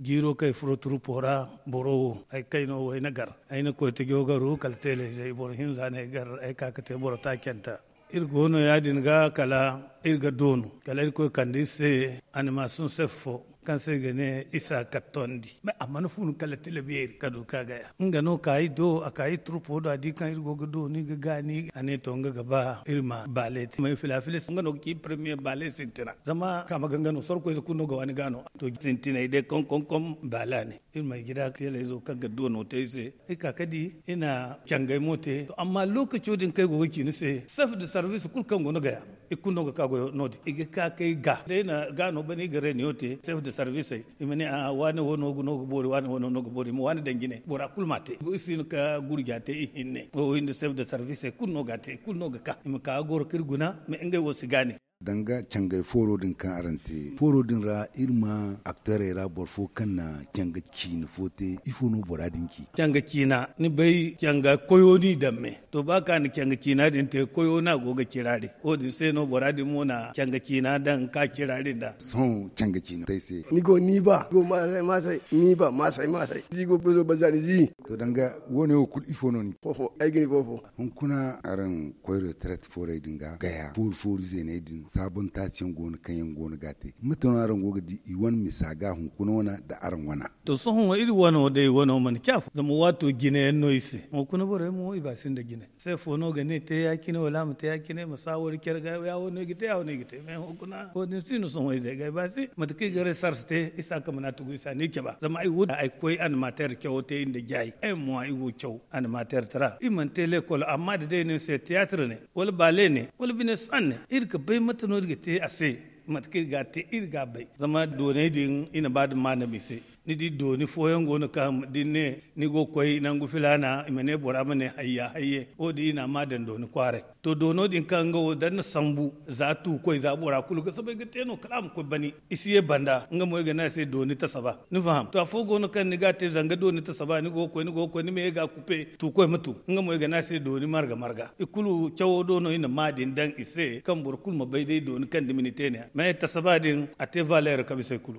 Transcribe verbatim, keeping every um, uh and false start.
Jiiro kaŋ ay furo turupo ra, boro wo ay kayno wo ay na gar. Ay na koy tajo garu kala teeleyzey boro hinza no ay gar, ay ka ga te boro taacanta. Iri go no ya- din ga kala iri ga doonu kala iri koy kande iri se animason sef fo, kaŋ se i ga ne isa kattondi. Mais a mana funu kala tila beeri ka du ka gaya nga no ka iri do a ka iri turpo do a di kaŋ iri go ga doonu iri ga gaani a ne to nga ga ba iri ma baale te mais filafilis nga no ga ci premier baale sintina zama kaama ga nga no sorkoyze kulu no ga waani gaano. To sintinay day konkonkom baale a ne iri ma ay gida teelayzo kaŋ ga doono te iri se. Iri ka ka di iri na cangay mo te to amma lookaco din kaŋ ay go ga ci ni se sef de sarvis kulu kaŋ go no gaya. Iri kulu no ga ka goyo no- din i ga ka kay ga day na ga no bane i ga reunion te sef de sarvisey. I ma ne a waane wo no ga boori waane wo no ga boori i ma waane daŋ jine bora kulu ma te. Iri si hin ka gurja te i hinne wo wo hinne sef de sarvisey kulu no ga te i kulu no ga ka i ma ka ga goro ka iri guna. Mais ngey wo si gaani. Danga cangay fooro din kaŋ araŋ te fooro din ra iri ma akteerey ra boro fo kaŋ na canga ciine fo te ifo no bora din ci? Canga ciina ni bay canga koyo no i daŋ me. To ba kaŋ a na canga ciina din te koyo no a go ga ciraari wo- din se no bora din mo na canga ciina daŋ ka ciraari nda. Sohõ canga ciina te ay se. Ni go ni ba go maasay maasay ni ba maasay maasay zi go bezo banza ni zi. To danga wo- ne wo kulu ifo no ni foofo ay ga ni foofo. Hunkuna araŋ koy retraite foorey din ga gaya foori foori zeeney din saabontaasiyaŋ go no kaŋ yaŋ go no ga a te mate no araŋ go ga di i wane misa ga hunkuna wane nda araŋ wana. To sohõ iri wano day wano mana ci afo zama waato jine yaŋ no iri se hunkuna borey mo i ba sinda jine. Se fo no ga ne te ya- cine wala a ma te ya- cine ma saawari care ga ya- wo no i ga te ya- wo no i ga te mais hunkuna wo- din si no sohõ ize ga i ba se mate kaŋ i ga resars te isa kamana tugu isa no i caba zama ay wo ay koy animateer cawo te iri nda jaayi ay mo ay wo caw animateer tara iri mana te leekol amma da day no iri se tiyaatir ne wala baale ne wala bine san ne iri ga bay mate no iri ga te a se. Mate kaŋ iri ga a te iri ga a bay zama doonay din i na ba da maanam i se. Ni di dooni fooyaŋ go no kaŋ da ni ne ni go ga koy nangu filaana i ma ne bora ma ne hayya hayye wo- din i na a ma daŋ dooni kwaaray. To doono din kaŋ nga wo da ni na sambu za tuukoy za bora kulu ga soobay ga te no kala a ma koy bani i si ye banda nga mo i ga ne a se dooni tasaba. Ni faham to afo go no kaŋ ni ga a te zanga dooni tasaba ni go ga koy ni ma ye ga a kupe tuukoy ma tu nga mo i ga ne a se dooni marga marga i kulu cawo do no i na ma din daŋ i se kaŋ boro kulu ma bay day dooni kaŋ dumi ni te ne ya mais tasaba din a te valeer kaŋ bisa i kulu.